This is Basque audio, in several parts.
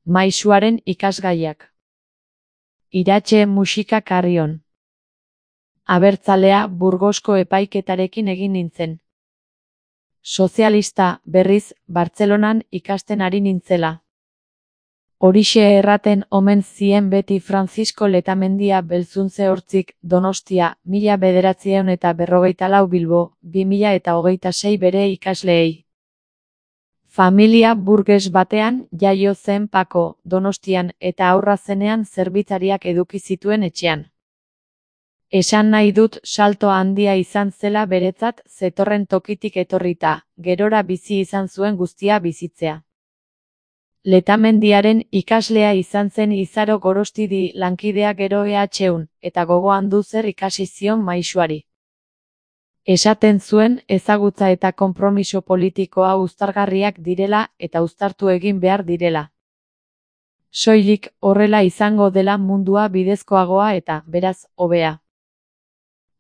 Maisuaren ikasgaiak. Iratxe musika Carrion. Abertzalea Burgosko epaiketarekin egin nintzen. Sozialista, berriz, Bartzelonan ikasten ari nintzela. Horixe erraten omen zien beti Francisco Letamendia Belzuntze Hortzik, Donostia, 1954 Bilbo, 2026 bere ikasleei. Familia burges batean jaio zen Pako, Donostian, eta haurra zenean zerbitzariak eduki zituen etxean. Esan nahi dut salto handia izan zela beretzat zetorren tokitik etorrita, gerora bizi izan zuen guztia bizitzea. Letamendiaren ikaslea izan zen Izaro Gorostidi lankidea gero EHun, eta gogoan du zer ikasi zion maisuari. Esaten zuen ezagutza eta konpromiso politikoa uztargarriak direla eta uztartu egin behar direla. Soilik horrela izango dela mundua bidezkoagoa eta, beraz, hobea.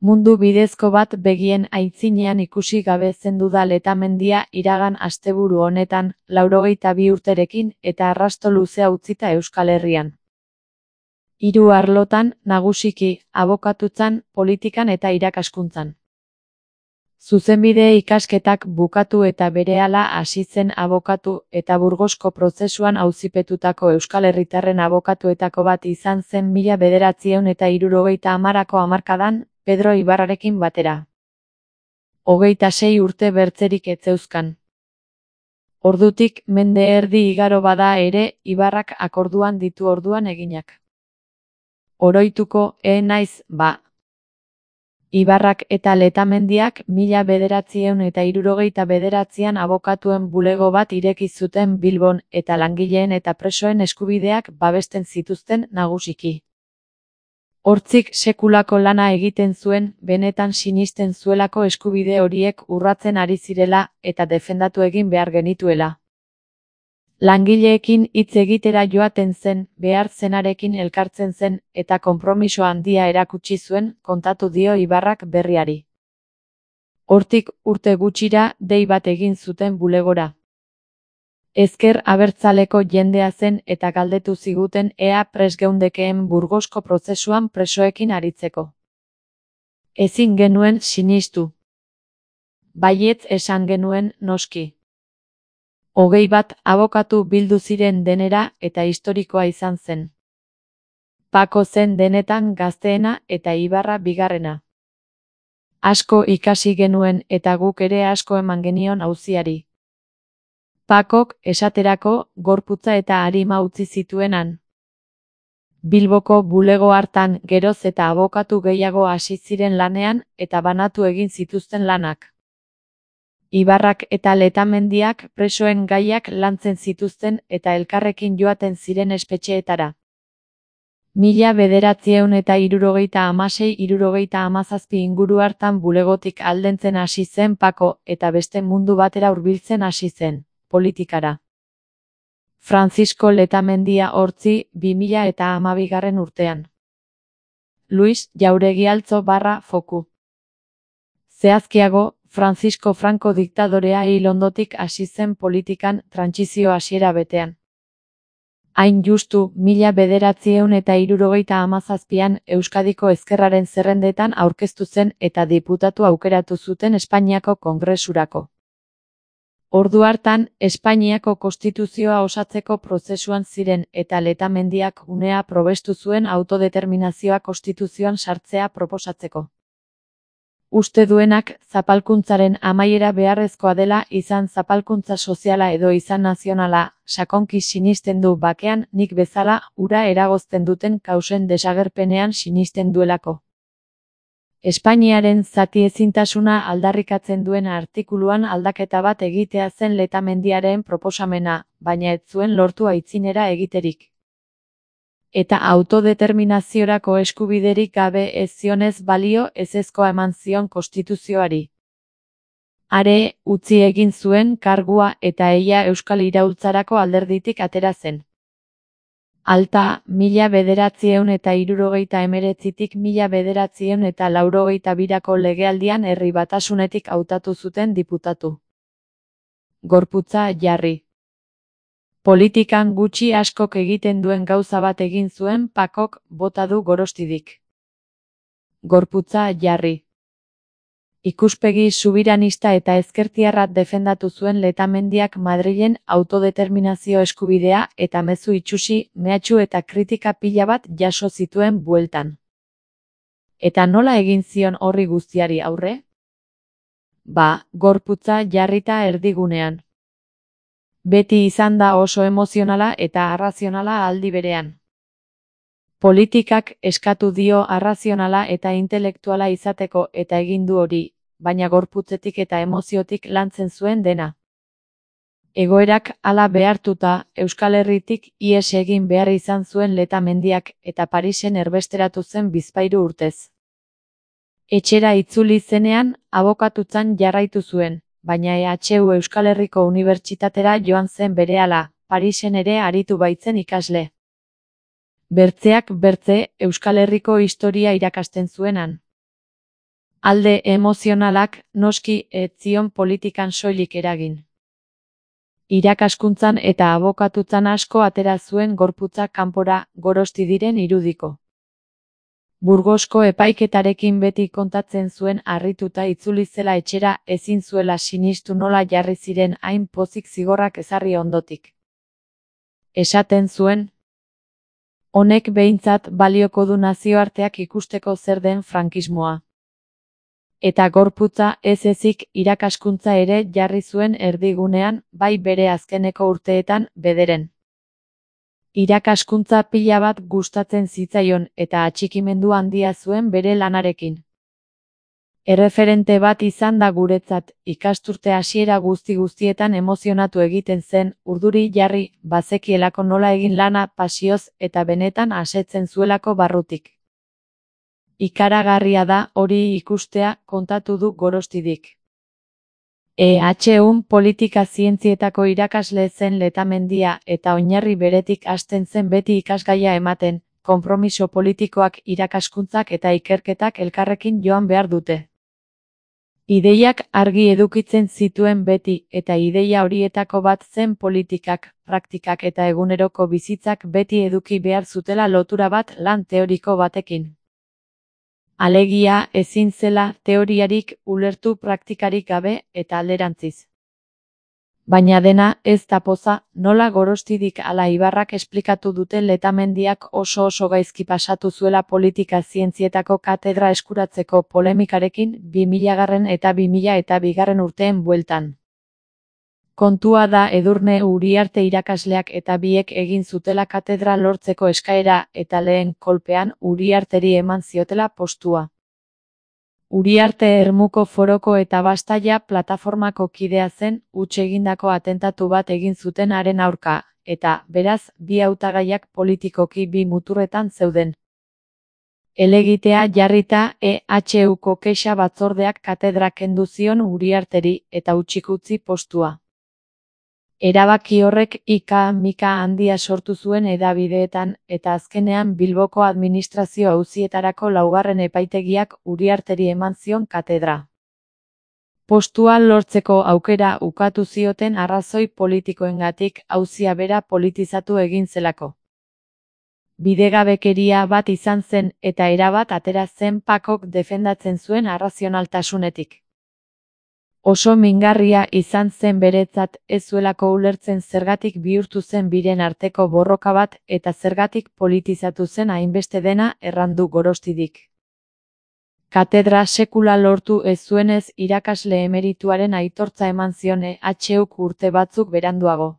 Mundu bidezko bat begien aitzinean ikusi gabe zendu da Letamendia iragan asteburu honetan, 82 urterekin eta arrasto luzea utzita Euskal Herrian. 3 arlotan, nagusiki, abokatutzan, politikan eta irakaskuntzan. Zuzenbide ikasketak bukatu eta berehala hasi zen abokatu eta Burgosko prozesuan auzipetutako Euskal Herritarren abokatuetako bat izan zen 1970ko hamarkadan, Pedro Ibarrarekin batera. 26 urte bertzerik ez zeuzkan. Ordutik mende erdi igaro bada ere, Ibarrak akorduan ditu orduan eginak. Oroituko, naiz, ba. Ibarrak eta Letamendiak 1969an abokatuen bulego bat ireki zuten Bilbon eta langileen eta presoen eskubideak babesten zituzten nagusiki. Hortzik sekulako lana egiten zuen, benetan sinisten zuelako eskubide horiek urratzen ari zirela eta defendatu egin behar genituela. Langileekin hitz egitera joaten zen, behar zenarekin elkartzen zen eta konpromiso handia erakutsi zuen, kontatu dio Ibarrak berriari. Hortik urte gutxira dei bat egin zuten bulegora. Ezker abertzaleko jendea zen eta galdetu ziguten ea prest geundekeen Burgosko prozesuan presoekin aritzeko. Ezin genuen sinistu. Baietz esan genuen noski. 21 abokatu bildu ziren denera eta historikoa izan zen. Pako zen denetan gazteena eta Ibarra bigarrena. Asko ikasi genuen eta guk ere asko eman genion auziari. Pakok, esaterako, gorputza eta arima utzi zituenan. Bilboko bulego hartan geroz eta abokatu gehiago hasi ziren lanean eta banatu egin zituzten lanak. Ibarrak eta Letamendiak presoen gaiak lantzen zituzten eta elkarrekin joaten ziren espetxeetara. 1976-77 inguru hartan bulegotik aldentzen hasi zen Pako eta beste mundu batera hurbiltzen hasi zen, politikara. Francisco Letamendia Hortzi, 2012 urtean. Luis Jauregi Altzo /Foku. Zehazkiago, Francisco Franco diktadorea hil ondotik hasi zen politikan trantsizio hasiera betean. Hain justu, 1977an Euskadiko ezkerraren zerrendetan aurkeztu zen eta diputatu aukeratu zuten Espainiako Kongresurako. Ordu hartan, Espainiako konstituzioa osatzeko prozesuan ziren eta Letamendiak unea probestu zuen autodeterminazioa konstituzioan sartzea proposatzeko. Uste duenak, zapalkuntzaren amaiera beharrezkoa dela izan zapalkuntza soziala edo izan nazionala, sakonki sinisten du bakean nik bezala hura eragozten duten kausen desagerpenean sinisten duelako. Espainiaren zatiezintasuna aldarrikatzen duen artikuluan aldaketa bat egitea zen Letamendiaren proposamena, baina ez zuen lortu aitzinera egiterik. Eta autodeterminaziorako eskubiderik gabe ez zionez balio ezezkoa eman zion konstituzioari. Are, utzi egin zuen kargua eta eia Euskal Iraultzarako alderditik atera zen. Alta, 1979tik 1982ko legealdian Herri Batasunetik hautatu zuten diputatu. Gorputza jarri. Politikan gutxi askok egiten duen gauza bat egin zuen Pakok bota du Gorostidik. Gorputza jarri. Ikuspegi subiranista eta ezkertiarra defendatu zuen Letamendiak Madrilen autodeterminazio eskubidea eta mezu itsusi, mehatxu eta kritika pila bat jaso zituen bueltan. Eta nola egin zion horri guztiari aurre? Gorputza jarrita erdigunean. Beti izan da oso emozionala eta arrazionala aldi berean. Politikak eskatu dio arrazionala eta intelektuala izateko eta egin du hori, baina gorputzetik eta emoziotik lantzen zuen dena. Egoerak hala behartuta, Euskal Herritik ihes egin behar izan zuen Letamendiak eta Parisen erbesteratu zen bizpahiru urtez. Etxera itzuli zenean, abokatutzan jarraitu zuen, baina EHU Euskal Herriko Unibertsitatera joan zen berehala, Parisen ere aritu baitzen ikasle. Bertzeak bertze, Euskal Herriko historia irakasten zuenan. Alde emozionalak, noski, ez zion politikan soilik eragin. Irakaskuntzan eta abokatutzan asko atera zuen gorputza kanpora, Gorostidiren irudiko. Burgosko epaiketarekin beti kontatzen zuen harrituta itzuli zela etxera ezin zuela sinistu nola jarri ziren hain pozik zigorrak ezarri ondotik. Esaten zuen, honek behintzat balioko du nazioarteak ikusteko zer den frankismoa. Eta gorputza ez ezik irakaskuntza ere jarri zuen erdigunean, bai bere azkeneko urteetan, bederen. Irakaskuntza pila bat gustatzen zitzaion eta atxikimendu handia zuen bere lanarekin. Erreferente bat izan da guretzat, ikasturte hasiera guztietan emozionatu egiten zen, urduri jarri, bazekielako nola egin lana pasioz eta benetan asetzen zuelako barrutik. Ikaragarria da hori ikustea, kontatu du Gorostidik. EHUn politika zientzietako irakasle zen Letamendia eta oinarri beretik hasten zen beti ikasgaia ematen, konpromiso politikoak irakaskuntzak eta ikerketak elkarrekin joan behar dute. Ideiak argi edukitzen zituen beti eta ideia horietako bat zen politikak, praktikak eta eguneroko bizitzak beti eduki behar zutela lotura bat lan teoriko batekin. Alegia ezin zela teoriarik ulertu praktikarik gabe eta alderantziz. Baina dena ez da poza, nola Gorostidik ala Ibarrak esplikatu dute Letamendiak oso gaizki pasatu zuela politika zientzietako katedra eskuratzeko polemikarekin 2000 eta 2002 urteen bueltan. Kontua da Edurne Uriarte irakasleak eta biek egin zutela katedra lortzeko eskaera eta lehen kolpean Uriarteri eman ziotela postua. Uriarte Ermuko Foroko eta Bastaia plataformako kidea zen, huts egindako atentatu bat egin zuten haren aurka, eta, beraz, bi hautagaiak politikoki bi muturretan zeuden. Helegitea jarrita EHUko kexa batzordeak katedra kendu zion Uriarteri eta hutsik utzi postua. Erabaki horrek ika-mika handia sortu zuen hedabideetan eta azkenean Bilboko administrazio auzietarako laugarren epaitegiak Uriarteri eman zion katedra. Postua lortzeko aukera ukatu zioten arrazoi politikoengatik auzia bera politizatu egin zelako. Bidegabekeria bat izan zen eta erabat atera zen Pakok defendatzen zuen arrazionaltasunetik. Oso mingarria izan zen beretzat ez zuelako ulertzen zergatik bihurtu zen biren arteko borroka bat eta zergatik politizatu zen hainbeste dena errandu Gorostidik. Katedra sekula lortu ez zuenez irakasle emerituaren aitortza eman zion EHUk urte batzuk beranduago.